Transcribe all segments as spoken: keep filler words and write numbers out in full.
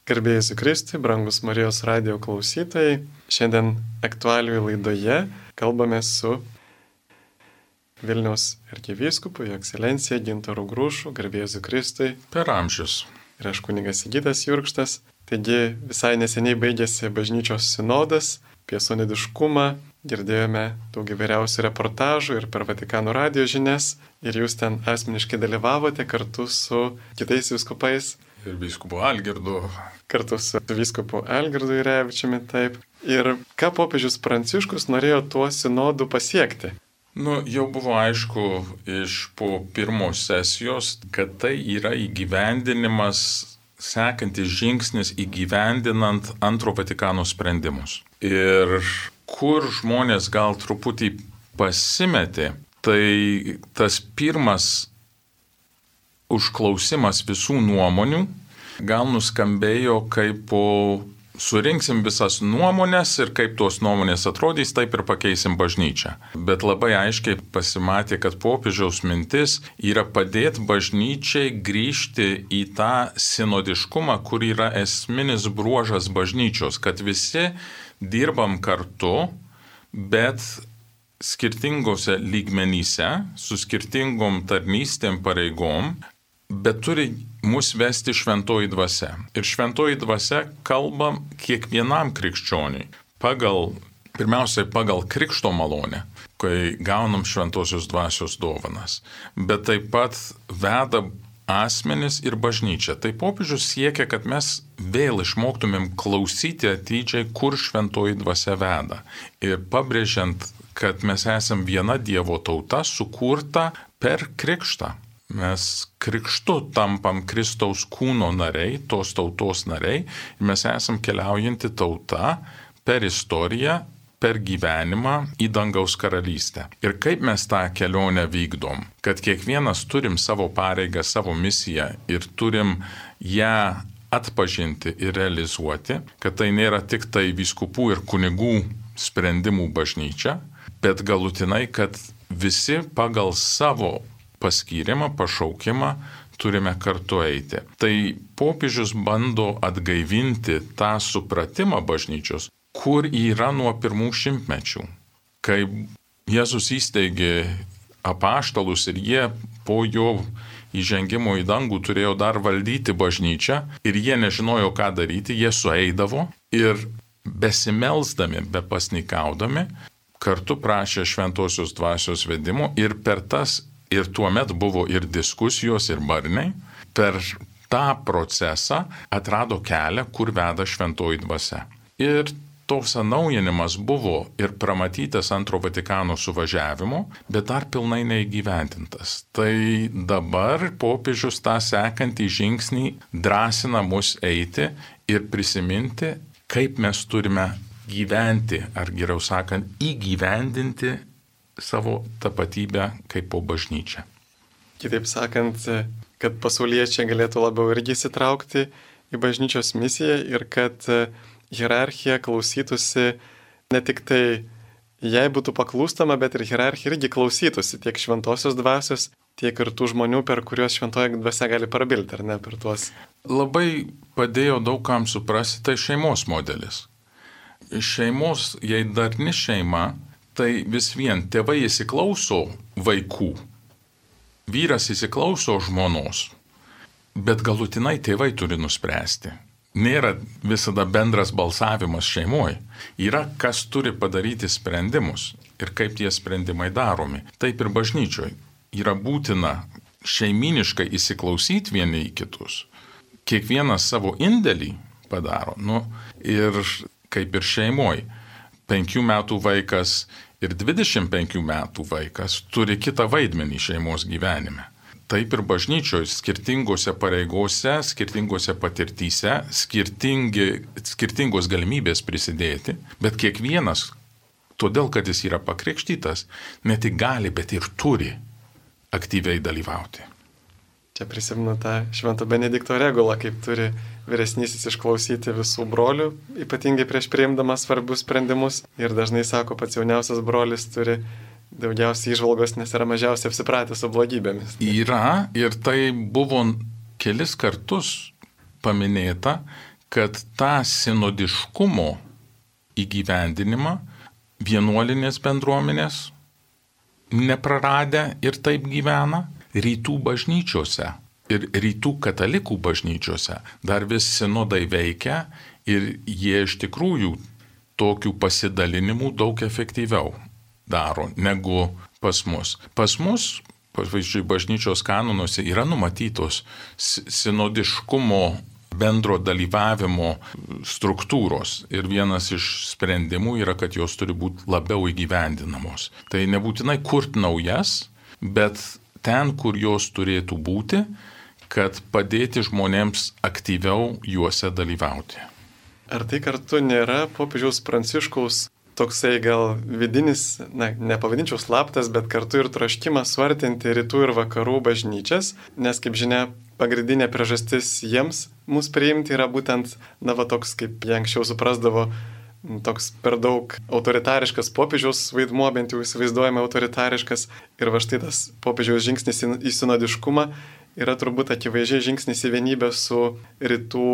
Garbėjai Jėzui Kristui, brangus Marijos radijo klausytojai, šiandien aktualijų laidoje kalbame su Vilniaus arkivyskupu, Jo ekscelencija Gintaru Grušu, garbėjai Jėzui Kristui. Per amžius. Ir aš kunigas Sigitas Jurkštas. Taigi visai neseniai baigėsi bažnyčios sinodas apie sinodiškumą. Girdėjome daug įvairiausių reportažų ir per Vatikano radijo žinias. Ir jūs ten asmeniškai dalyvavote kartu su kitais vyskupais. Ir vyskupu Algirdu. Kartu su vyskupu Algirdu Jurevičiumi, taip. Ir ką popiežius Pranciškus norėjo tuo sinodu pasiekti? Nu, jau buvo aišku iš po pirmos sesijos, kad tai yra įgyvendinimas, sekantis žingsnis įgyvendinant antro Vatikano sprendimus. Ir kur žmonės gal truputį pasimetė, tai tas pirmas užklausimas visų nuomonių gal nuskambėjo kaip po surinksim visas nuomonės ir kaip tos nuomonės atrodys, taip ir pakeisim bažnyčią. Bet labai aiškiai pasimatė, kad popiežiaus mintis yra padėti bažnyčiai grįžti į tą sinodiškumą, kur yra esminis bruožas bažnyčios, kad visi dirbam kartu, bet skirtingose lygmenyse, su skirtingom tarnystėm pareigom, bet turi mus vesti šventoji dvasia. Ir šventoji dvasia kalba kiekvienam krikščioniui. Pagal, pirmiausiai pagal krikšto malonę, kai gaunam šventosios dvasios dovanas. Bet taip pat veda asmenis ir bažnyčią. Tai popiežius siekia, kad mes vėl išmoktumėm klausyti atidžiai, kur šventoji dvasia veda. Ir pabrėžiant, kad mes esam viena Dievo tauta, sukurta per krikštą. Mes krikštu tampam Kristaus kūno nariai, tos tautos nariai, ir mes esam keliaujanti tauta per istoriją, per gyvenimą į dangaus karalystę. Ir kaip mes tą kelionę vykdom, kad kiekvienas turim savo pareigą, savo misiją ir turim ją atpažinti ir realizuoti, kad tai nėra tik tai vyskupų ir kunigų sprendimų bažnyčia, bet galutinai, kad visi pagal savo paskyrimą, pašaukimą turime kartu eiti. Tai popiežius bando atgaivinti tą supratimą bažnyčios, kur yra nuo pirmų šimtmečių. Kai Jėzus įsteigė apaštalus ir jie po jo įžengimo į dangų turėjo dar valdyti bažnyčią ir jie nežinojo, ką daryti, jie sueidavo ir besimelsdami, bepasnikaudami, kartu prašė šventosios dvasios vedimo ir per tas ir tuomet buvo ir diskusijos, ir barniai. Per tą procesą atrado kelią, kur veda šventoji dvasia. Ir tos atnaujinimas buvo ir pramatytas antro Vatikano suvažiavimo, bet dar pilnai neįgyvendintas. Tai dabar popiežius tą sekantį žingsnį drąsina mus eiti ir prisiminti, kaip mes turime gyventi, ar geriau sakant, įgyvendinti savo tapatybę kaip po bažnyčią. Kitaip sakant, kad pasauliečiai galėtų labiau irgi įsitraukti į bažnyčios misiją ir kad hierarchija klausytųsi ne tik tai, jei būtų paklūstama, bet ir hierarchija irgi klausytųsi tiek šventosios dvasios, tiek ir tų žmonių, per kuriuos šventoji dvasia gali prabilti, ar ne, per tuos. Labai padėjo daugam suprasti, tai šeimos modelis. Šeimos, jei darni šeima, tai vis vien tėvai įsiklauso vaikų, vyras įsiklauso žmonos, bet galutinai tėvai turi nuspręsti. Nėra visada bendras balsavimas šeimoje. Yra, kas turi padaryti sprendimus ir kaip tie sprendimai daromi. Taip ir bažnyčioje yra būtina šeiminiškai įsiklausyti vieni į kitus. Kiekvienas savo indėlį padaro. Nu, ir kaip ir šeimoje. Penkių metų vaikas ir dvidešimt penkių metų vaikas turi kitą vaidmenį šeimos gyvenime. Taip ir bažnyčioje skirtingose pareigose, skirtingose patirtyse, skirtingos galimybės prisidėti, bet kiekvienas, todėl kad jis yra pakrikštytas, ne tik gali, bet ir turi aktyviai dalyvauti. Čia prisimenu tą Švento Benedikto regulą, kaip turi vyresnysis išklausyti visų brolių, ypatingai prieš priimdamas svarbius sprendimus. Ir dažnai sako, pats jauniausias brolis turi daugiausiai įžvalgos, nes yra mažiausiai apsipratęs su blogybėmis. Yra, ir tai buvo kelis kartus paminėta, kad tą sinodiškumo įgyvendinimą vienuolinės bendruomenės nepraradę ir taip gyvena, rytų bažnyčiose ir rytų katalikų bažnyčiose dar vis sinodai veikia ir jie iš tikrųjų tokių pasidalinimų daug efektyviau daro negu pas mus. Pas mus, pavyzdžiui, bažnyčios kanonuose yra numatytos sinodiškumo bendro dalyvavimo struktūros ir vienas iš sprendimų yra, kad jos turi būti labiau įgyvendinamos. Tai nebūtinai kurt naujas, bet ten, kur jos turėtų būti, kad padėti žmonėms aktyviau juose dalyvauti. Ar tai kartu nėra popiežiaus Pranciškaus toksai gal vidinis, na, nepavadinčiau slaptas, bet kartu ir troškimas suartinti rytų ir vakarų bažnyčias, nes, kaip žinia, pagrindinė priežastis jiems mus priimti yra būtent, na, va toks, kaip jie anksčiau suprasdavo, toks per daug autoritariškas popiežiaus vaidmuo, bent jau įsivaizduojama autoritariškas, ir va štai tas popiežiaus žingsnis į sinodiškumą yra turbūt akivaizdžiai žingsnis į vienybę su rytų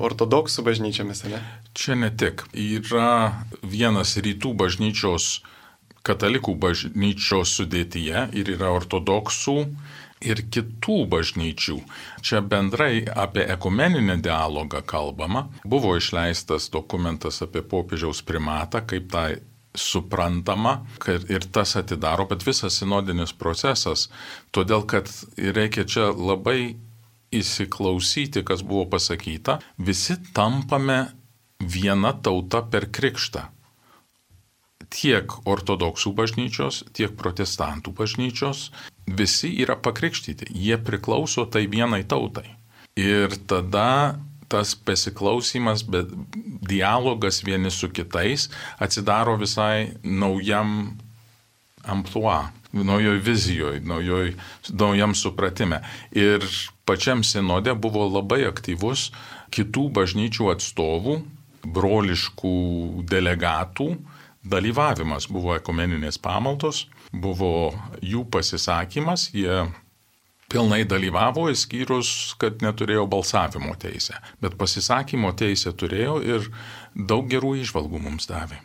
ortodoksų bažnyčiomis, ne? Čia ne tik. Yra vienas rytų bažnyčios, katalikų bažnyčios sudėtyje ir yra ortodoksų ir kitų bažnyčių. Čia bendrai apie ekumeninį dialogą kalbama. Buvo išleistas dokumentas apie popiežiaus primatą, kaip tai suprantama, kad ir tas atidaro, bet visas sinodinis procesas, todėl kad reikia čia labai įsiklausyti, kas buvo pasakyta, visi tampame viena tauta per krikštą. Tiek ortodoksų bažnyčios, tiek protestantų bažnyčios, visi yra pakrikštyti, jie priklauso tai vienai tautai. Ir tada tas pasiklausimas, bet dialogas vieni su kitais atsidaro visai naujam amplua, naujoj vizijoje, naujoj, naujam supratime. Ir pačiam sinode buvo labai aktyvus kitų bažnyčių atstovų, broliškų delegatų dalyvavimas. Buvo ekumeninės pamaldos, buvo jų pasisakymas, jie pilnai dalyvavo, išskyrus, kad neturėjo balsavimo teisę. Bet pasisakymo teisę turėjo ir daug gerų įžvalgų mums davė.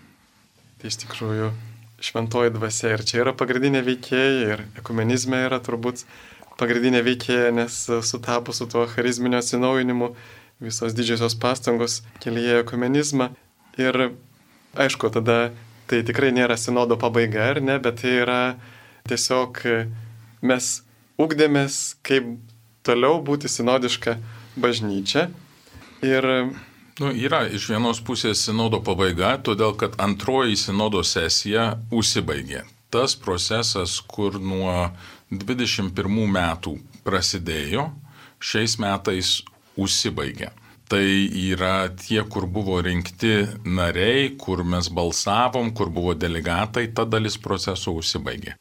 Tai iš tikrųjų šventoji dvasia ir čia yra pagrindinė veikėja ir ekumenizme yra turbūt pagrindinė veikėja, nes sutapo su tuo charizminio atsinaujinimu visos didžiosios pastangos kelyje ekumenizmą. Ir aišku, tada tai tikrai nėra sinodo pabaiga, ar ne, bet tai yra tiesiog mes ugdėmės, kaip toliau būti sinodiška bažnyčia. Ir Nu, yra iš vienos pusės sinodo pabaiga, todėl kad antroji sinodo sesija užsibaigė. Tas procesas, kur nuo dvidešimt pirmų metų prasidėjo, šiais metais užsibaigė. Tai yra tie, kur buvo rinkti nariai, kur mes balsavom, kur buvo delegatai, ta dalis proceso užsibaigė.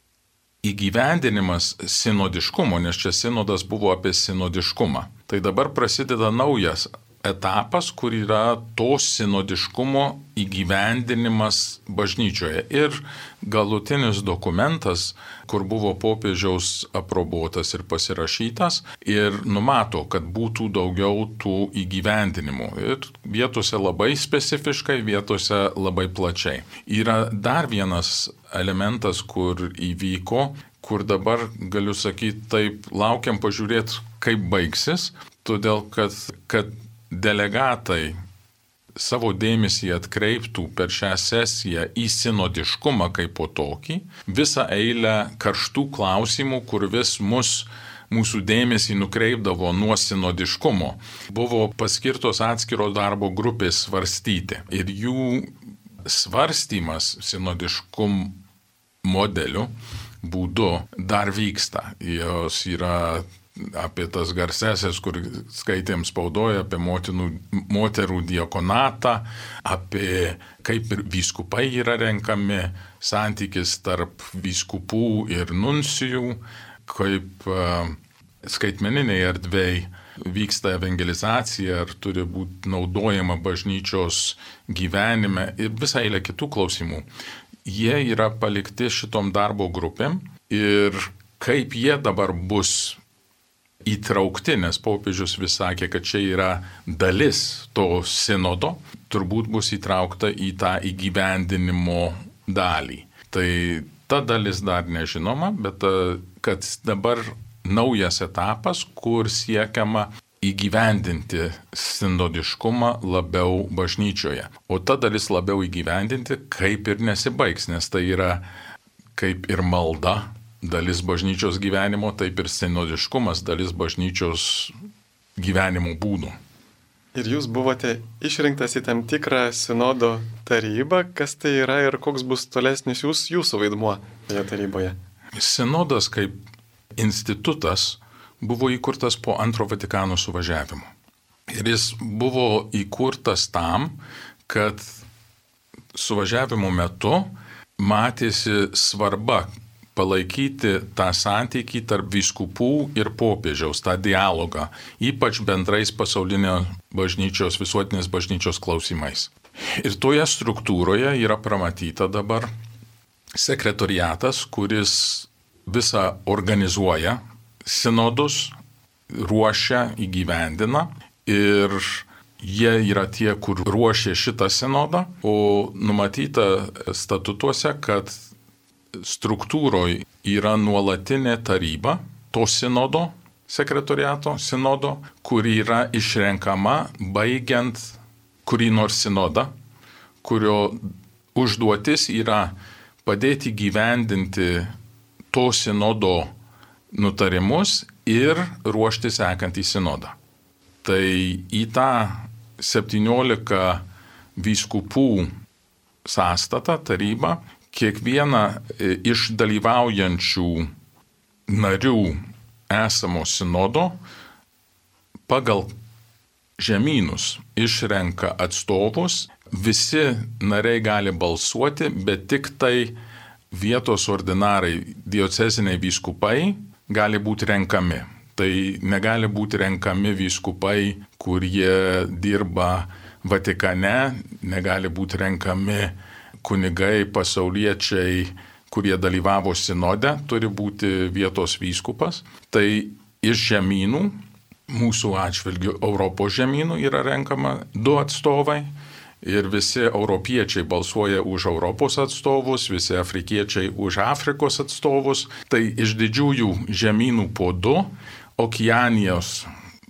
Įgyvendinimas sinodiškumo, nes čia sinodas buvo apie sinodiškumą. Tai dabar prasideda naujas etapas, kur yra to sinodiškumo įgyvendinimas bažnyčioje. Ir galutinis dokumentas, kur buvo popiežiaus aprobuotas ir pasirašytas, ir numato, kad būtų daugiau tų įgyvendinimų. Ir vietose labai specifiškai, vietose labai plačiai. Yra dar vienas elementas, kur įvyko, kur dabar galiu sakyti, taip laukiam pažiūrėti, kaip baigsis, todėl kad, kad delegatai savo dėmesį atkreiptų per šią sesiją į sinodiškumą kaip po tokį, visą eilę karštų klausimų, kur vis mus, mūsų dėmesį nukreipdavo nuo sinodiškumo, buvo paskirtos atskiros darbo grupės svarstyti. Ir jų svarstymas sinodiškum modeliu būdu dar vyksta. Jos yra apie tas garsesės, kur skaitėm spaudoje, apie motinų, moterų diakonatą, apie kaip ir vyskupai yra renkami, santykis tarp vyskupų ir nuncijų, kaip uh, skaitmeniniai erdvėj vyksta evangelizacija, ar turi būti naudojama bažnyčios gyvenime ir visą eilę kitų klausimų. Jie yra palikti šitom darbo grupėm ir kaip jie dabar bus įtraukti, nes popiežius vis sakė, kad čia yra dalis to sinodo, turbūt bus įtraukta į tą įgyvendinimo dalį. Tai ta dalis dar nežinoma, bet kad dabar naujas etapas, kur siekiama įgyvendinti sinodiškumą labiau bažnyčioje. O ta dalis labiau įgyvendinti kaip ir nesibaigs, nes tai yra kaip ir malda dalis bažnyčios gyvenimo, taip ir sinodiškumas dalis bažnyčios gyvenimo būdų. Ir jūs buvote išrinktas į tam tikrą sinodo tarybą. Kas tai yra ir koks bus tolesnis jūs, jūsų vaidmuo toje taryboje? Sinodas kaip institutas buvo įkurtas po antro Vatikano suvažiavimo. Ir jis buvo įkurtas tam, kad suvažiavimo metu matėsi svarba palaikyti tą santykį tarp vyskupų ir popiežiaus, tą dialogą, ypač bendrais pasaulinio bažnyčios, visuotinės bažnyčios klausimais. Ir toje struktūroje yra pramatyta dabar sekretoriatas, kuris visą organizuoja sinodus, ruošia, įgyvendina ir jie yra tie, kur ruošia šitą sinodą, o numatyta statutuose, kad struktūroje yra nuolatinė taryba to sinodo, sekretoriato sinodo, kur yra išrenkama baigiant kurį nors sinodą, kurio užduotis yra padėti gyvendinti to sinodo nutarimus ir ruošti sekantį sinodą. Tai į tą septyniolika vyskupų sąstatą, tarybą, kiekvieną iš dalyvaujančių narių esamo sinodo pagal žemynus išrenka atstovus, visi nariai gali balsuoti, bet tik tai vietos ordinarai, dioceziniai vyskupai gali būti renkami. Tai negali būti renkami vyskupai, kurie dirba Vatikane, negali būti renkami kunigai, pasauliečiai, kurie dalyvavo sinode, turi būti vietos vyskupas. Tai iš žemynų, mūsų atžvilgių Europos žemynų yra renkama du atstovai. Ir visi europiečiai balsuoja už Europos atstovus, visi afrikiečiai už Afrikos atstovus. Tai iš didžiųjų žemynų po du, Okeanijos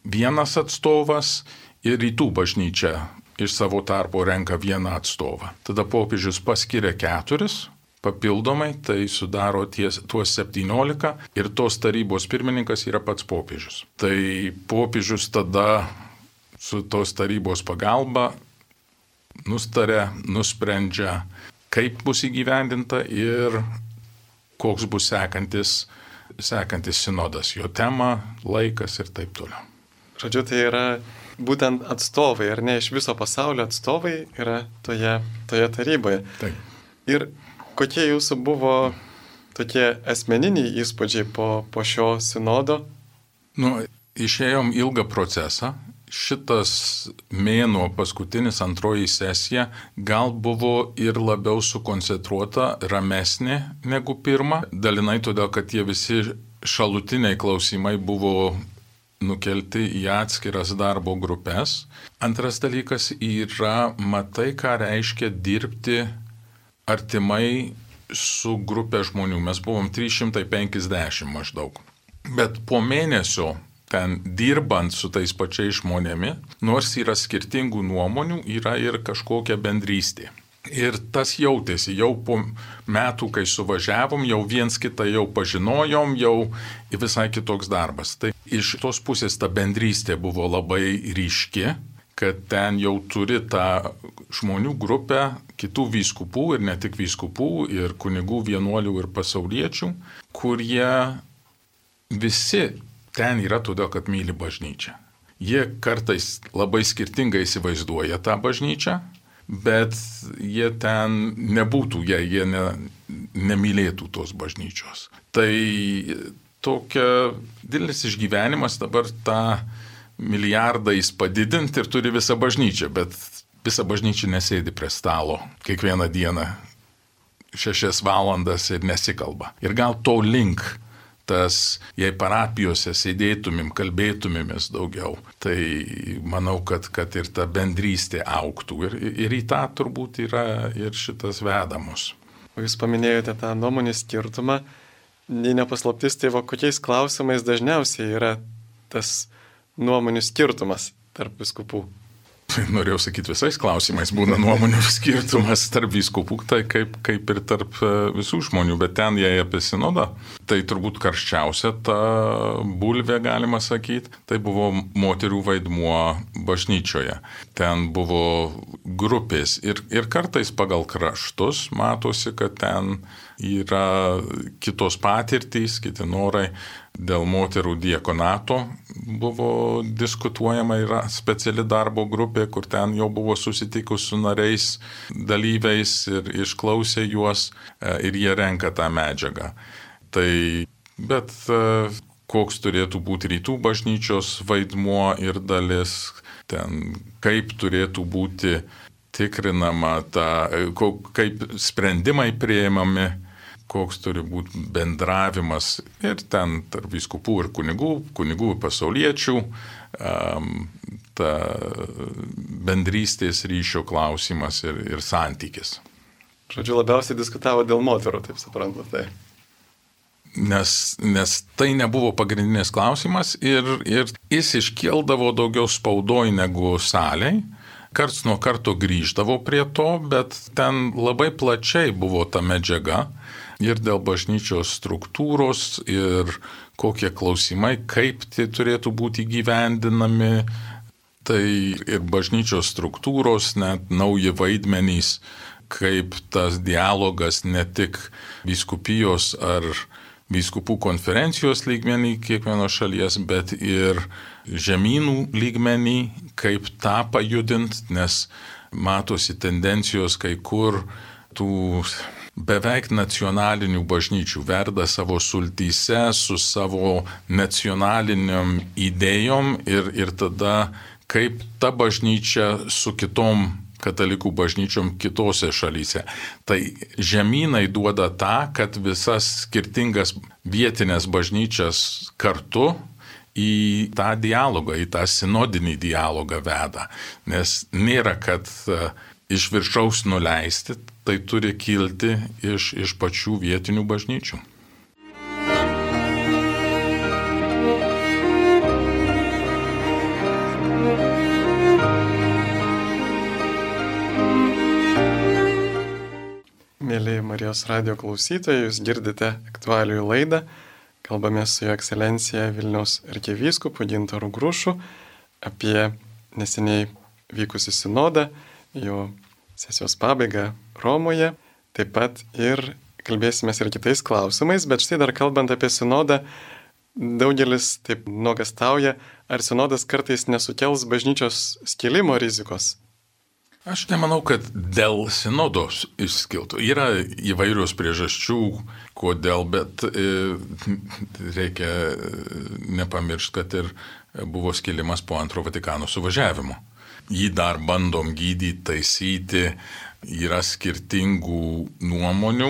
vienas atstovas ir rytų bažnyčia iš savo tarpo renka vieną atstovą. Tada popiežius paskiria keturis papildomai, tai sudaro ties, tuos septyniolika ir tos tarybos pirmininkas yra pats popiežius. Tai popiežius tada su tos tarybos pagalba nustaria, nusprendžia, kaip bus įgyvendinta ir koks bus sekantis, sekantis sinodas, jo tema, laikas ir taip toliau. Žodžiu, tai yra būtent atstovai, ar ne, iš viso pasaulio atstovai yra toje, toje taryboje. Taip. Ir kokie jūsų buvo tokie asmeniniai įspūdžiai po, po šio sinodo? Nu, išėjom ilgą procesą. Šitas mėnuo, paskutinis antroji sesija, gal buvo ir labiau sukoncentruota, ramesnė negu pirma. Dalinai todėl, kad tie visi šalutiniai klausimai buvo nukelti į atskiras darbo grupės. Antras dalykas yra, matai, ką reiškia dirbti artimai su grupė žmonių. Mes buvom trys šimtai penkiasdešimt maždaug. Bet po mėnesio ten dirbant su tais pačiais žmonėmis, nors yra skirtingų nuomonių, yra ir kažkokia bendrystė. Ir tas jautėsi, jau po metų, kai suvažiavom, jau viens kitą jau pažinojom, jau visai kitoks darbas. Tai iš tos pusės ta bendrystė buvo labai ryški, kad ten jau turi tą žmonių grupę, kitų vyskupų ir ne tik vyskupų, ir kunigų, vienuolių ir pasauliečių, kurie visi ten yra todėl, kad myli bažnyčią. Jie kartais labai skirtingai įsivaizduoja tą bažnyčią, bet jie ten nebūtų, jei jie ne, nemylėtų tos bažnyčios. Tai tokia didelis išgyvenimas dabar tą milijardais padidinti ir turi visą bažnyčią, bet visa bažnyčia nesėdi prie stalo kiekvieną dieną šešias valandas ir nesikalba. Ir gal to link tas, jei parapijose sėdėtumėm, kalbėtumėmės daugiau, tai manau, kad, kad ir ta bendrystė augtų. Ir, ir į tą turbūt yra ir šitas vedamus. O jūs paminėjote tą nuomonių skirtumą. Nei nepaslaptis, tai va, kokiais klausimais dažniausiai yra tas nuomonių skirtumas tarp vyskupų? Norėjau sakyti, visais klausimais būna nuomonių skirtumas tarp vyskupų, tai kaip, kaip ir tarp visų žmonių, bet ten jei apie sinodą, tai turbūt karščiausia ta bulvė, galima sakyti, tai buvo moterų vaidmuo bažnyčioje. Ten buvo grupės ir, ir kartais pagal kraštus matosi, kad ten yra kitos patirtys, kiti norai. Dėl moterų diakonato buvo diskutuojama, yra speciali darbo grupė, kur ten jau buvo susitikus su nariais, dalyviais ir išklausė juos ir jie renka tą medžiagą. Tai, bet koks turėtų būti rytų bažnyčios vaidmuo ir dalis, ten kaip turėtų būti tikrinama, ta, kaip sprendimai priimami, koks turi būti bendravimas ir ten tarp vyskupų ir kunigų, kunigų ir pasauliečių, um, ta bendrystės ryšio klausimas ir, ir santykis. Žodžiu, labiausiai diskutavo dėl moterų, taip suprantu, tai. Nes, nes tai nebuvo pagrindinis klausimas ir, ir jis iškildavo daugiau spaudoj negu salėj. Karts nuo karto grįždavo prie to, bet ten labai plačiai buvo ta medžiaga. Ir dėl bažnyčios struktūros ir kokie klausimai, kaip tai turėtų būti įgyvendinami, tai ir bažnyčios struktūros, net nauji vaidmenys, kaip tas dialogas ne tik vyskupijos ar vyskupų konferencijos lygmenį kiekvienos šalies, bet ir žemynų lygmenį, kaip tą pajudint, nes matosi tendencijos kai kur tų beveik nacionalinių bažnyčių verda savo sultyse su savo nacionaliniam idėjom ir, ir tada kaip ta bažnyčia su kitom katalikų bažnyčiom kitose šalyse. Tai žemynai duoda tą, kad visas skirtingas vietinės bažnyčias kartu į tą dialogą, į tą sinodinį dialogą veda. Nes nėra, kad iš viršaus nuleisti, tai turi kilti iš, iš pačių vietinių bažnyčių. Mėly Marijos radijo klausytojai, jūs girdite aktualijų laidą. Kalbamės su Jo Ekscelencija Vilniaus arkivyskupu Gintaru Grušu apie neseniai vykusį sinodą, jo sesijos pabaigą Romoje. Taip pat ir kalbėsimės ir kitais klausimais, bet štai dar kalbant apie sinodą, daugelis taip nuogastauja, ar sinodas kartais nesukels bažnyčios skilimo rizikos. Aš nemanau, kad dėl sinodos išskiltų. Yra įvairios priežasčių, kodėl, bet e, reikia nepamiršti, kad ir buvo skilimas po antro Vatikano suvažiavimo. Jį dar bandom gydyti, taisyti, yra skirtingų nuomonių,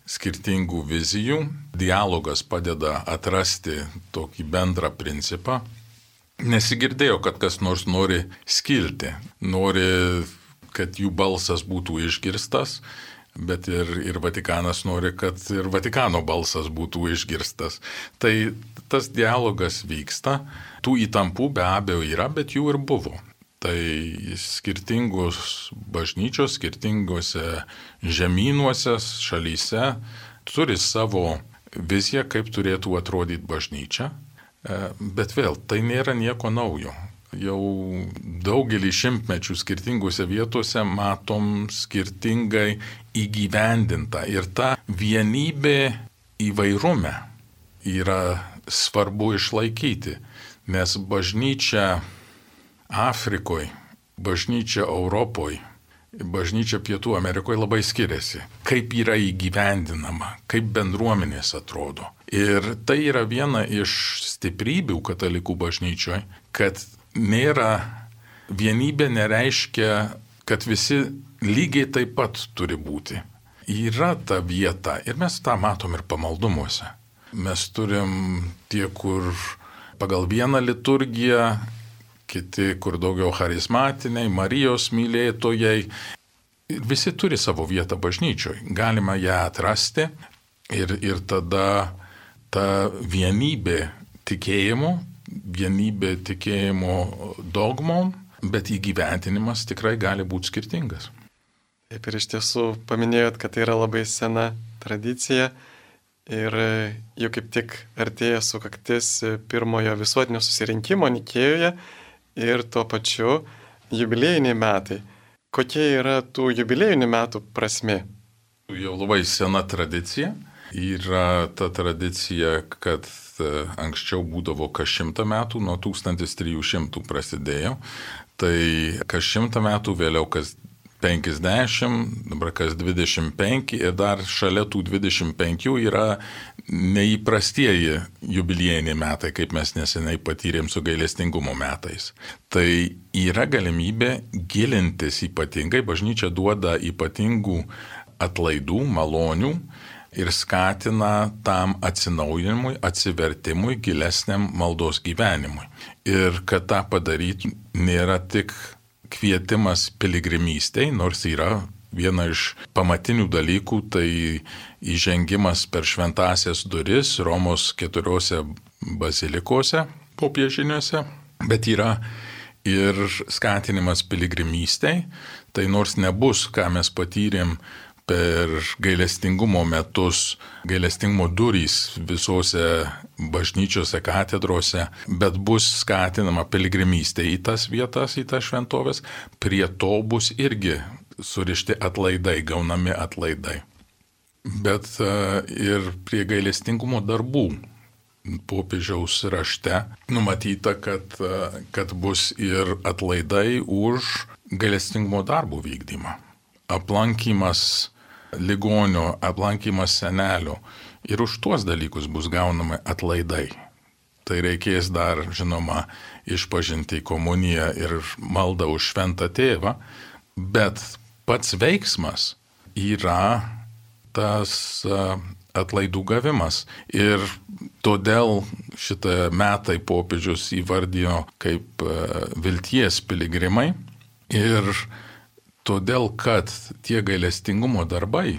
skirtingų vizijų. Dialogas padeda atrasti tokį bendrą principą. Nesigirdėjo, kad kas nors nori skilti, nori, kad jų balsas būtų išgirstas, bet ir, ir Vatikanas nori, kad ir Vatikano balsas būtų išgirstas. Tai tas dialogas vyksta, tų įtampų be abejo yra, bet jų ir buvo. Tai skirtingos bažnyčios, skirtingose žemynuose, šalyse turi savo viziją, kaip turėtų atrodyti bažnyčia, bet vėl tai nėra nieko naujo. Jau daugelį šimtmečių skirtingose vietose matom skirtingai įgyvendinta ir ta vienybė įvairume yra svarbu išlaikyti, nes bažnyčia Afrikoje, bažnyčia Europoje, bažnyčia Pietų Amerikoje labai skiriasi, kaip yra įgyvendinama, kaip bendruomenės atrodo. Ir tai yra viena iš stiprybių katalikų bažnyčioje, kad nėra, vienybė nereiškia, kad visi lygiai taip pat turi būti. Yra ta vieta ir mes tą matom ir pamaldumuose. Mes turim tie, kur pagal vieną liturgiją, kiti, kur daugiau charizmatiniai, Marijos mylėtojai. Ir visi turi savo vietą bažnyčioje. Galima ją atrasti ir, ir tada ta vienybė tikėjimo, vienybė tikėjimo dogmom, bet įgyventinimas tikrai gali būti skirtingas. Taip, ir iš tiesų paminėjot, kad tai yra labai sena tradicija ir jau kaip tik artėja sukaktis pirmojo visuotinio susirinkimo Nikėjoje ir tuo pačiu jubiliejiniai metai. Kokia yra tų jubiliejinių metų prasmė? Jau labai sena tradicija. Yra ta tradicija, kad anksčiau būdavo kas šimtą metų, nuo tūkstantis trijų šimtų prasidėjo. Tai kas šimtą metų, vėliau kas penkiasdešimt, dabar kas dvidešimt penki ir dar šalia tų dvidešimt penkių yra neįprastieji jubiliejiniai metai, kaip mes neseniai patyrėm su gailestingumo metais. Tai yra galimybė gilintis ypatingai, bažnyčia duoda ypatingų atlaidų, malonių ir skatina tam atsinaujinimui, atsivertimui, gilesniam maldos gyvenimui. Ir kad tą padaryti nėra tik kvietimas piligrimystei, nors yra viena iš pamatinių dalykų, tai įžengimas per šventąsias duris Romos keturiose bazilikose popiežiniuose, bet yra ir skatinimas piligrimystei, tai nors nebus, ką mes patyrėm per gailestingumo metus, gailestingumo durys visose bažnyčiose, katedrose, bet bus skatinama piligrimystė į tas vietas, į tas šventovės, prie to bus irgi surišti atlaidai, gaunami atlaidai. Bet uh, ir prie gailestingumo darbų popiežiaus rašte numatyta, kad, uh, kad bus ir atlaidai už gailestingumo darbų vykdymą. Aplankymas ligonio, aplankymas senelio ir už tuos dalykus bus gaunami atlaidai. Tai reikės dar, žinoma, išpažinti komuniją ir maldą už šventą tėvą, bet pats veiksmas yra tas atlaidų gavimas. Ir todėl šitą metai popiežius įvardijo kaip vilties piligrimai ir todėl, kad tie gailestingumo darbai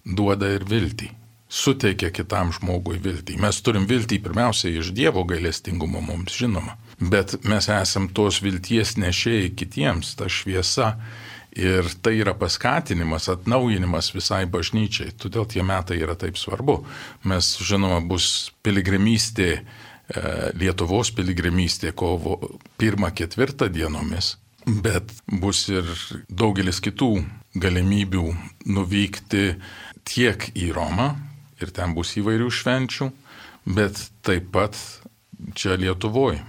duoda ir viltį, suteikia kitam žmogui viltį. Mes turim viltį pirmiausiai iš Dievo gailestingumo mums žinoma, bet mes esam tos vilties nešėjai kitiems, ta šviesa ir tai yra paskatinimas, atnaujinimas visai bažnyčiai. Todėl tie metai yra taip svarbu. Mes žinoma bus piligrimystė, Lietuvos piligrimystė kovo pirmą ketvirtą dienomis. Bet bus ir daugelis kitų galimybių nuvykti tiek į Romą, ir ten bus įvairių švenčių, bet taip pat čia Lietuvoje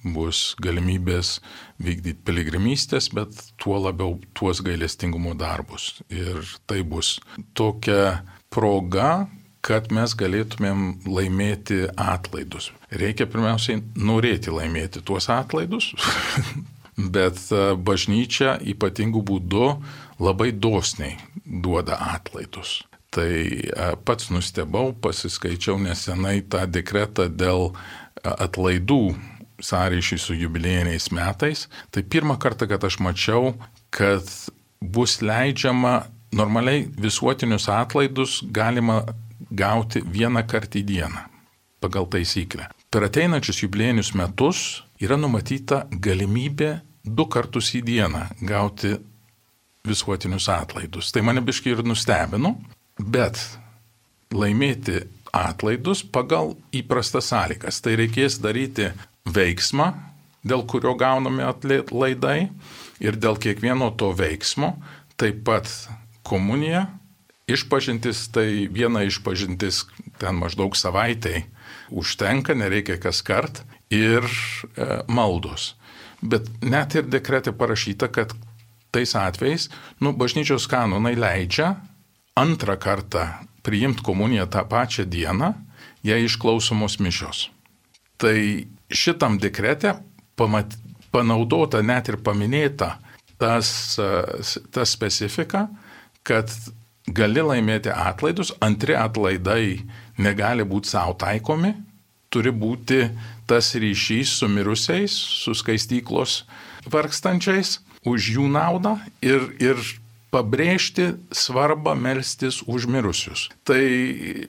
bus galimybės vykdyti piligrimystės, bet tuo labiau tuos gailestingumo darbus. Ir tai bus tokia proga, kad mes galėtumėm laimėti atlaidus. Reikia pirmiausiai norėti laimėti tuos atlaidus. Bet bažnyčia ypatingų būdų labai dosniai duoda atlaidus. Tai pats nustebau, pasiskaičiau nesenai tą dekretą dėl atlaidų sąryšiui su jubiliejiniais metais. Tai pirmą kartą, kad aš mačiau, kad bus leidžiama normaliai visuotinius atlaidus galima gauti vieną kartą į dieną pagal taisyklę. Per ateinančius jubiliejinius metus yra numatyta galimybė du kartus į dieną gauti visuotinius atlaidus. Tai mane biškai ir nustebino, bet laimėti atlaidus pagal įprastas sąlygas. Tai reikės daryti veiksmą, dėl kurio gauname atlaidai ir dėl kiekvieno to veiksmo taip pat komunija, išpažintis, tai viena išpažintis ten maždaug savaitai užtenka, nereikia kas kart, ir e, maldos. Bet net ir dekrete parašyta, kad tais atvejais, nu, bažnyčios kanonai leidžia antrą kartą priimti komuniją tą pačią dieną, jei išklausomos mišios. Tai šitam dekrete pamat, panaudota net ir paminėta tas, ta specifika, kad gali laimėti atlaidus, antri atlaidai negali būti savo taikomi, turi būti tas ryšys su mirusiais, su skaistyklos vargstančiais, už jų naudą ir, ir pabrėžti svarbą melstis už mirusius. Tai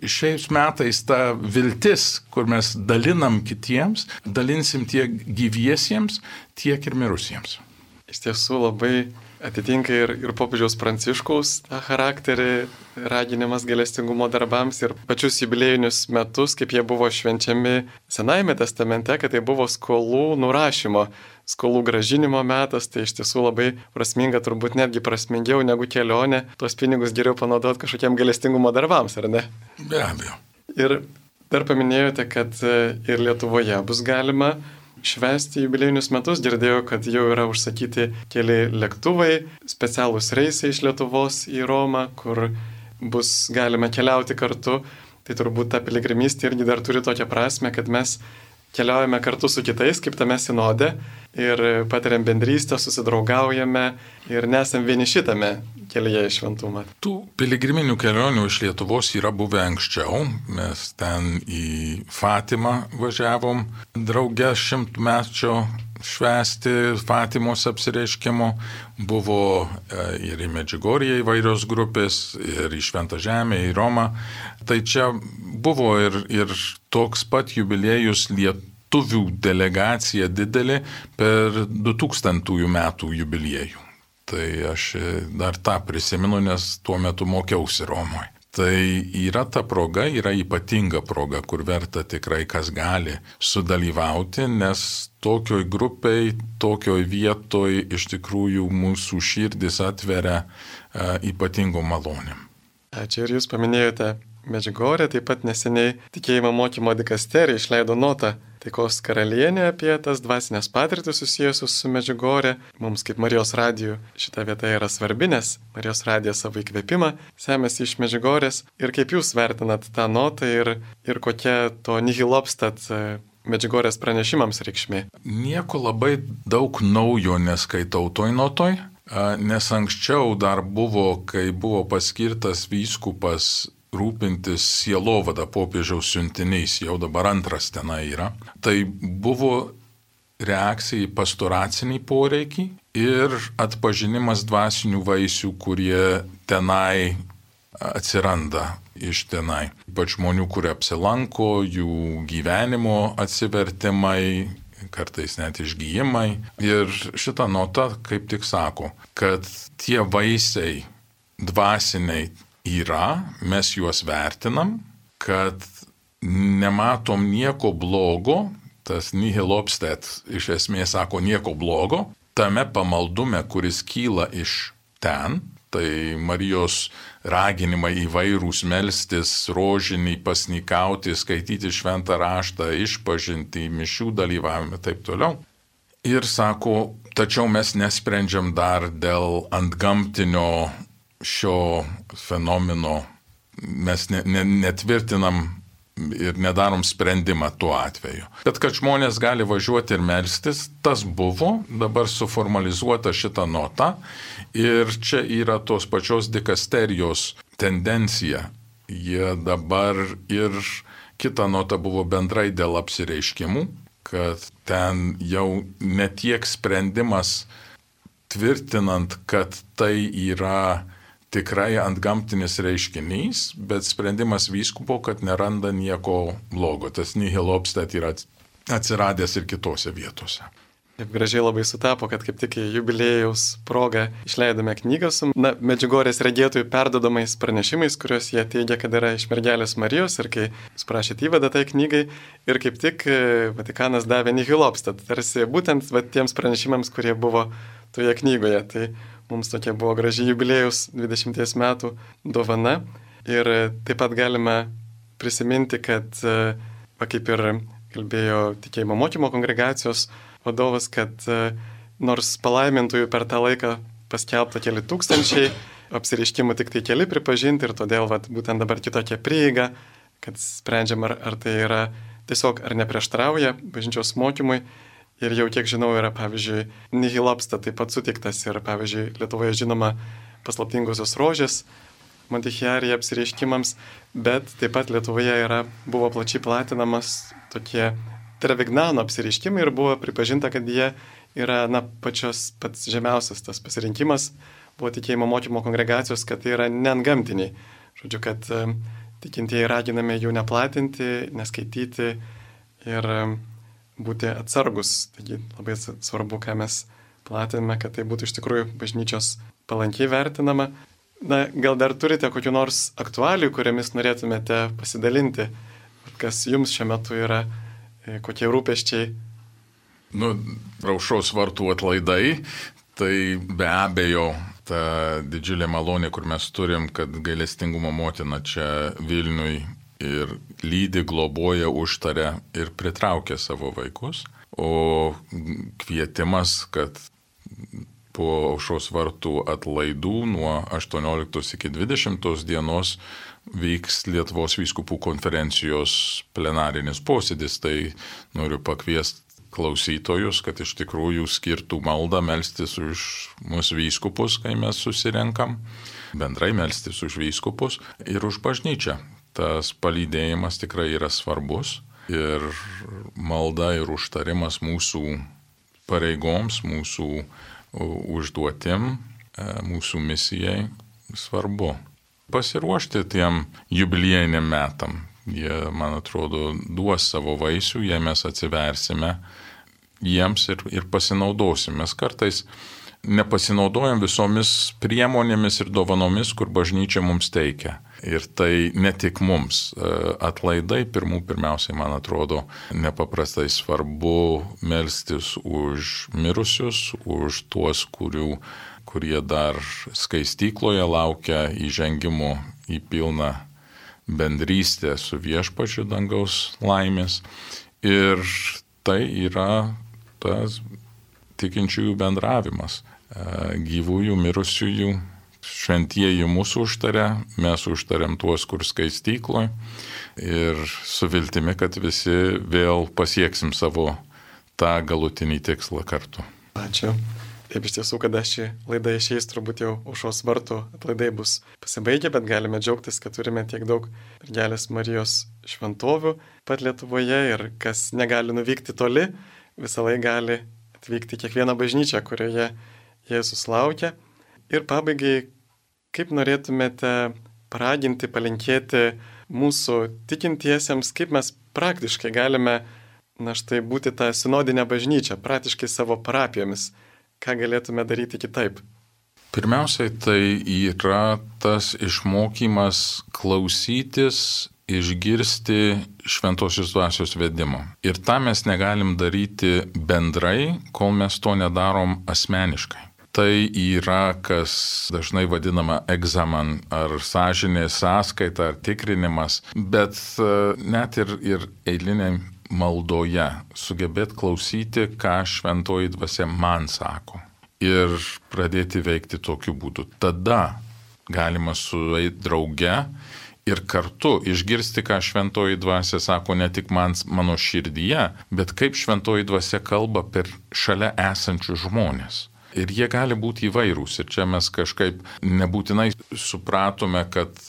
šiais metais ta viltis, kur mes dalinam kitiems, dalinsim tiek gyviesiems, tiek ir mirusiems. Iš tiesų labai atitinka ir, ir popiežiaus Pranciškaus tą charakterį, raginimas gailestingumo darbams ir pačius jubiliejinius metus, kaip jie buvo švenčiami Senajame testamente, kad tai buvo skolų nurašymo, skolų gražinimo metas, tai iš tiesų labai prasminga, turbūt netgi prasmingiau negu kelionė, tuos pinigus geriau panaudoti kažkokiem gailestingumo darbams, ar ne? Be abejo. Ir dar paminėjote, kad ir Lietuvoje bus galima švęsti jubiliejinius metus. Girdėjau, kad jau yra užsakyti keli lėktuvai, specialūs reisai iš Lietuvos į Romą, kur bus galima keliauti kartu. Tai turbūt ta piligrimystė irgi dar turi tokią prasme, kad mes keliaujame kartu su kitais, kaip tame sinode, ir patiriam bendrystę, susidraugaujame ir nesam vieniši tame kelyje į šventumą. Tų piligriminių kelionių iš Lietuvos yra buvę anksčiau. Mes ten į Fatimą važiavom drauge šimtmečio švęsti Fatimos apsireiškimo. Buvo ir į Medžiugorję įvairios grupės, ir į Šventą Žemę, į Romą. Tai čia buvo ir, ir toks pat jubiliejus lietuvių delegacija didelė per du tūkstantųjų metų jubiliejų. Tai aš dar tą prisimenu, nes tuo metu mokiausi Romoje. Tai yra ta proga, yra ypatinga proga, kur verta tikrai kas gali sudalyvauti, nes tokioj grupiai, tokioj vietoj iš tikrųjų mūsų širdis atveria uh, ypatingom malonėm. Ačiū, ir jūs paminėjote Medžiugorję, taip pat neseniai tikėjimo mokymo dikasterija išleido notą Taikos karalienė apie tas dvasinės patirtis susijusius su Medžiugorė. Mums kaip Marijos radijų šita vieta yra svarbi, nes Marijos radija savo įkvėpimą semėsi iš Medžiugorės. Ir kaip jūs vertinat tą notą ir, ir kokia to nihil obstat Medžiugorės pranešimams reikšmė? Nieko labai daug naujo neskaitau toj notoj, nes anksčiau dar buvo, kai buvo paskirtas vyskupas rūpintis sielovada popiežiaus siuntiniais, jau dabar antras tenai yra. Tai buvo reakcija į pastoracinį poreikį ir atpažinimas dvasinių vaisių, kurie tenai atsiranda iš tenai. Ypač žmonių, kurie apsilanko, jų gyvenimo atsivertimai, kartais net išgyjimai. Ir šita nota kaip tik sako, kad tie vaisiai dvasiniai yra, mes juos vertinam, kad nematom nieko blogo, tas nihil obstat iš esmės sako nieko blogo, tame pamaldume, kuris kyla iš ten, tai Marijos raginimai įvairūs melstis, rožinį, pasnikauti, skaityti šventą raštą, išpažinti, mišių dalyvavimą ir taip toliau. Ir sako, tačiau mes nesprendžiam dar dėl antgamtinio šio fenomeno, mes ne, ne, netvirtinam ir nedarom sprendimą tuo atveju. Bet kad žmonės gali važiuoti ir melstis, tas buvo, dabar suformalizuota šita nota ir čia yra tos pačios dikasterijos tendencija. Jie dabar ir kita nota buvo bendrai dėl apsireiškimų, kad ten jau ne tiek sprendimas tvirtinant, kad tai yra tikrai antgamtinis reiškinys, bet sprendimas vyskupo, kad neranda nieko blogo. Tas nihil obstat yra atsiradęs ir kitose vietose. Taip gražiai labai sutapo, kad kaip tik jubiliejaus proga išleidome knygą su na, Medžiugorės regėtojų perdodamais pranešimais, kuriuos jie teigia, kad yra iš mergelės Marijos, ir kai jūs prašėte įvadą tai knygai, ir kaip tik Vatikanas davė nihil obstat, tarsi būtent va, tiems pranešimams, kurie buvo toje knygoje. Tai mums tokia buvo graži jubiliejaus dvidešimties metų dovana. Ir taip pat galime prisiminti, kad, va, kaip ir kalbėjo tikėjimo mokymo kongregacijos vadovas, kad nors palaimintųjų per tą laiką paskelbta keli tūkstančiai, apsireiškimų tik tai keli pripažinti, ir todėl va, būtent dabar kitokia prieiga, kad sprendžiam, ar, ar tai yra tiesiog ar neprieštrauja bažnyčios mokymui. Ir jau kiek žinau, yra, pavyzdžiui, nihil obstat taip pat sutiktas ir, pavyzdžiui, Lietuvoje žinoma paslaptingosios rožės Montichiarija apsireiškimams, bet taip pat Lietuvoje yra, buvo plačiai platinamas tokie Trevignano apsireiškimai ir buvo pripažinta, kad jie yra na, pačios pats žemiausias tas pasirinkimas, buvo tikėjimo mokymo kongregacijos, kad tai yra neantgamtiniai. Žodžiu, kad um, tikintieji raginami jų neplatinti, neskaityti ir um, būti atsargus. Taigi labai svarbu, ką mes platiname, kad tai būtų iš tikrųjų bažnyčios palankiai vertinama. Na, gal dar turite kokių nors aktualijų, kuriamis norėtumėte pasidalinti, kas jums šiuo metu yra, kokie rūpesčiai? Nu, Aušros vartų atlaidai, tai be abejo ta didžiulė malonė, kur mes turim, kad gailestingumo motina čia Vilniui ir lydi, globoja, užtaria ir pritraukia savo vaikus. O kvietimas, kad po Aušros vartų atlaidų nuo aštuonioliktos iki dvidešimtos dienos vyks Lietuvos vyskupų konferencijos plenarinis posėdis. Tai noriu pakviesti klausytojus, kad iš tikrųjų skirtų maldą melstis už mūsų vyskupus, kai mes susirenkam, bendrai melstis už vyskupus ir už bažnyčią. Tas palydėjimas tikrai yra svarbus ir malda ir užtarimas mūsų pareigoms, mūsų užduotim, mūsų misijai svarbu. Pasiruošti tiem jubiliejiniam metam. Jie, man atrodo, duos savo vaisių, jei mes atsiversime jiems ir, ir pasinaudosim. Mes kartais nepasinaudojam visomis priemonėmis ir dovanomis, kur bažnyčia mums teikia. Ir tai ne tik mums. Atlaidai pirmų pirmiausiai, man atrodo, nepaprastai svarbu melstis už mirusius, už tuos, kurių, kurie dar skaistykloje laukia įžengimo į pilną bendrystę su viešpačiu dangaus laimės. Ir tai yra tas tikinčiųjų bendravimas. Gyvųjų, mirusiųjų, šventieji mūsų užtaria, mes užtariam tuos, kur skaistykloje. Ir su viltimi, kad visi vėl pasieksim savo tą galutinį tikslą kartu. Ačiū. Taip iš tiesų, kada ši laida išeis, turbūt jau Aušros vartų atlaidai bus pasibaigę, bet galime džiaugtis, kad turime tiek daug Mergelės Marijos šventovių pat Lietuvoje ir kas negali nuvykti toli, visą laiką gali atvykti kiekvieną bažnyčią, kurioje Jėzus laukia. Ir pabaigai, kaip norėtumėte paraginti, palinkėti mūsų tikintiesiems, kaip mes praktiškai galime, na štai, būti tą sinodinę bažnyčią, praktiškai savo parapijomis. Ką galėtume daryti kitaip? Pirmiausiai tai yra tas išmokymas klausytis, išgirsti šventosios dvasios vedimo. Ir tą mes negalim daryti bendrai, kol mes to nedarom asmeniškai. Tai yra, kas dažnai vadinama egzaman ar sąžinės sąskaita ar tikrinimas, bet net ir, ir eiliniai maldoje sugebėt klausyti, ką šventoji dvasia man sako ir pradėti veikti tokiu būdu. Tada galima sueiti drauge ir kartu išgirsti, ką šventoji dvasia sako ne tik man, mano širdyje, bet kaip šventoji dvasia kalba per šalia esančius žmonės. Ir jie gali būti įvairūs. Ir čia mes kažkaip nebūtinai supratome, kad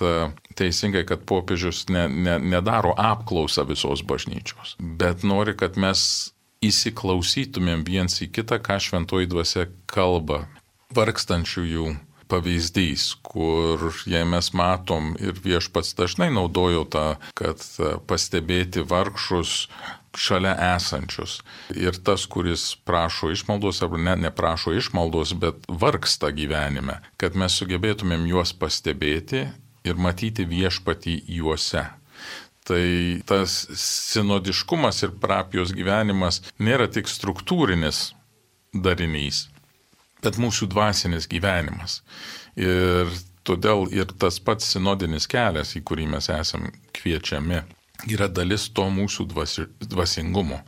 teisingai, kad popiežius ne, ne, nedaro apklausą visos bažnyčios. Bet nori, kad mes įsiklausytumėm viens į kitą, ką šventoji dvasia kalba. Vargstančiųjų pavyzdys, kur jei mes matom ir viešpats dažnai naudojo tą, kad pastebėti vargšus šalia esančius. Ir tas, kuris prašo išmaldos, arba ne, neprašo išmaldos, bet vargsta gyvenime, kad mes sugebėtumėm juos pastebėti ir matyti viešpatį juose. Tai tas sinodiškumas ir parapijos gyvenimas nėra tik struktūrinis darinys, bet mūsų dvasinis gyvenimas. Ir todėl ir tas pats sinodinis kelias, į kurį mes esam kviečiami, yra dalis to mūsų dvasi, dvasingumo.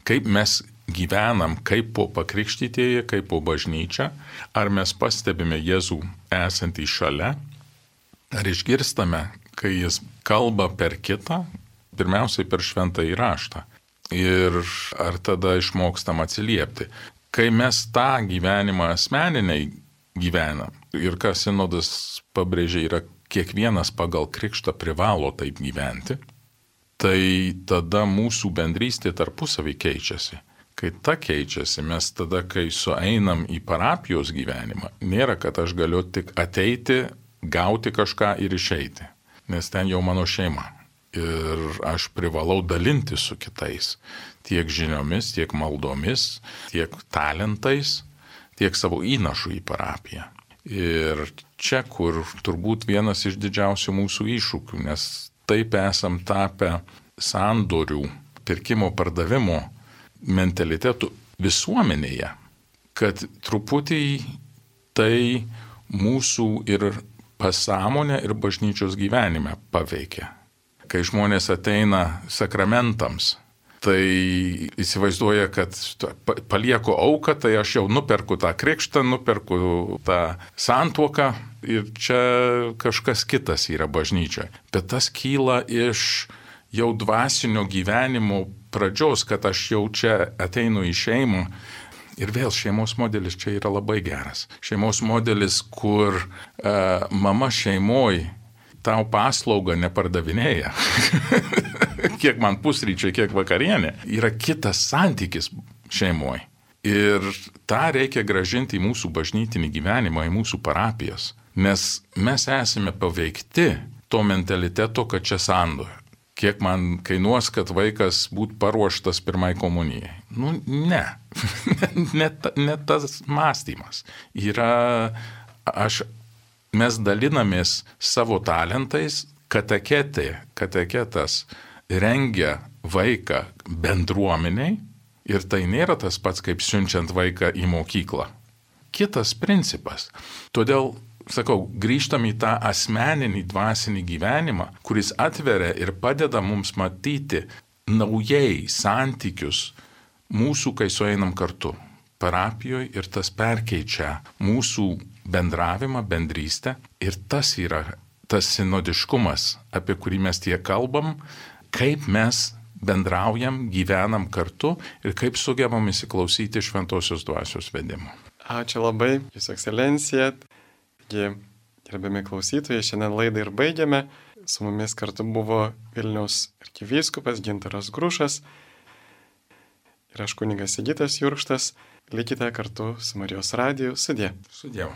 Kaip mes gyvenam, kaip po pakrikštytieji, kaip po bažnyčia, ar mes pastebime Jėzų esantį šalia, ar išgirstame, kai jis kalba per kitą, pirmiausiai per šventąjį raštą. Ir ar tada išmokstam atsiliepti. Kai mes tą gyvenimą asmeniniai gyvenam, ir ką sinodas pabrėžia, yra kiekvienas pagal krikštą privalo taip gyventi, tai tada mūsų bendrystė tarpusavį keičiasi. Kai ta keičiasi, mes tada, kai sueinam į parapijos gyvenimą, nėra, kad aš galiu tik ateiti, gauti kažką ir išeiti, nes ten jau mano šeima. Ir aš privalau dalinti su kitais tiek žiniomis, tiek maldomis, tiek talentais, tiek savo įnašų į parapiją. Ir čia, kur turbūt vienas iš didžiausių mūsų iššūkių, nes taip esam tapę sandorių, pirkimo pardavimo mentalitetų visuomenėje, kad truputį tai mūsų ir pasąmonę ir bažnyčios gyvenime paveikia. Kai žmonės ateina sakramentams, tai įsivaizduoja, kad palieku auką, tai aš jau nuperku tą krikštą, nuperku tą santuoką ir čia kažkas kitas yra bažnyčioje. Bet tas kyla iš jau dvasinio gyvenimo pradžios, kad aš jau čia ateinu į šeimą. Ir vėl šeimos modelis čia yra labai geras. Šeimos modelis, kur uh, mama šeimoj tau paslaugą nepardavinėja. Kiek man pusryčiai, kiek vakarienė. Yra kitas santykis šeimoje. Ir tą reikia gražinti į mūsų bažnytinį gyvenimą, į mūsų parapijas. Nes mes esame paveikti to mentaliteto, kad čia sandoja. Kiek man kainuos, kad vaikas būtų paruoštas pirmai komunijai. Nu, ne. ne, ne tas mąstymas. Yra, aš... Mes dalinamės savo talentais, kateketė, kateketas rengia vaiką bendruomeniai ir tai nėra tas pats, kaip siunčiant vaiką į mokyklą. Kitas principas. Todėl, sakau, grįžtam į tą asmeninį dvasinį gyvenimą, kuris atveria ir padeda mums matyti naujai santykius mūsų, kai sueinam kartu parapijoje, ir tas perkeičia mūsų bendravimą, bendrystę, ir tas yra tas sinodiškumas, apie kurį mes tiek kalbam, kaip mes bendraujam, gyvenam kartu ir kaip sugebam įsiklausyti šventosios dvasios vedimo. Ačiū labai, Jūsų ekscelencija. Gerbiami klausytojai, šiandien laidą ir baigiame. Su mumis kartu buvo Vilniaus arkivyskupas Gintaras Grušas ir aš kunigas Sigitas Jurkštas. Likite kartu su Marijos radiju. Sudie. Sudie.